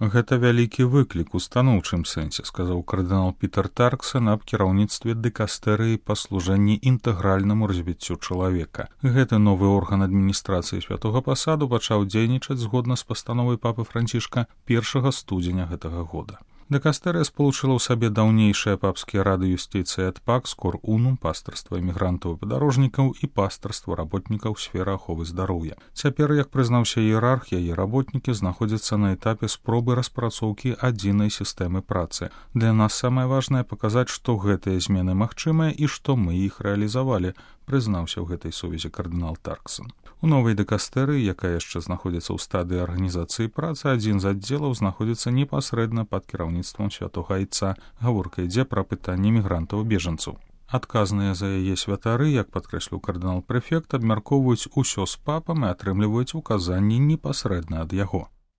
Гэта вялікі выклік у станоўчым сэнсе, сказаў кардынал Пітер Тарксон аб кіраўніцтве дыкастэрыі па служэнні інтэгральнаму развіццю чалавека. Гэты новы орган адміністрацыі святога пасаду пачаў дзейнічаць згодна з пастановай папы Францішка 1 студзеня гэтага года. Дыкастэрыя спалучыла ў сабе даўнейшыя папскія рады юстыцыі ад пакс, кор унум, пастырства эмігрантаў і падарожнікаў і пастырства работнікаў сферы аховы здароўя. Цяпер, як прызнаўся іерарх, яе работнікі знаходзяцца на этапе спробы распрацоўкі адзінай сістэмы працы. Для нас самае важнае паказаць, што гэтыя змены магчымыя і што мы іх рэалізавалі, прызнаўся ў гэтай сувязі кардынал Тарксон. У новай дыкастэрыі, якая яшчэ знаходзіцца ў стадыі арганізацыі працы, адзін з аддзелаў знаходзіцца непасрэдна пад кіраўніцтвам святога айца. Гаворка ідзе пра пытанні мігрантаў-бежанцаў. Адказныя за яе святары, як падкрэсліў кардынал-прэфект, абмяркоўваюць усё з папам і атрымліваюць указанні непасрэдна ад яго.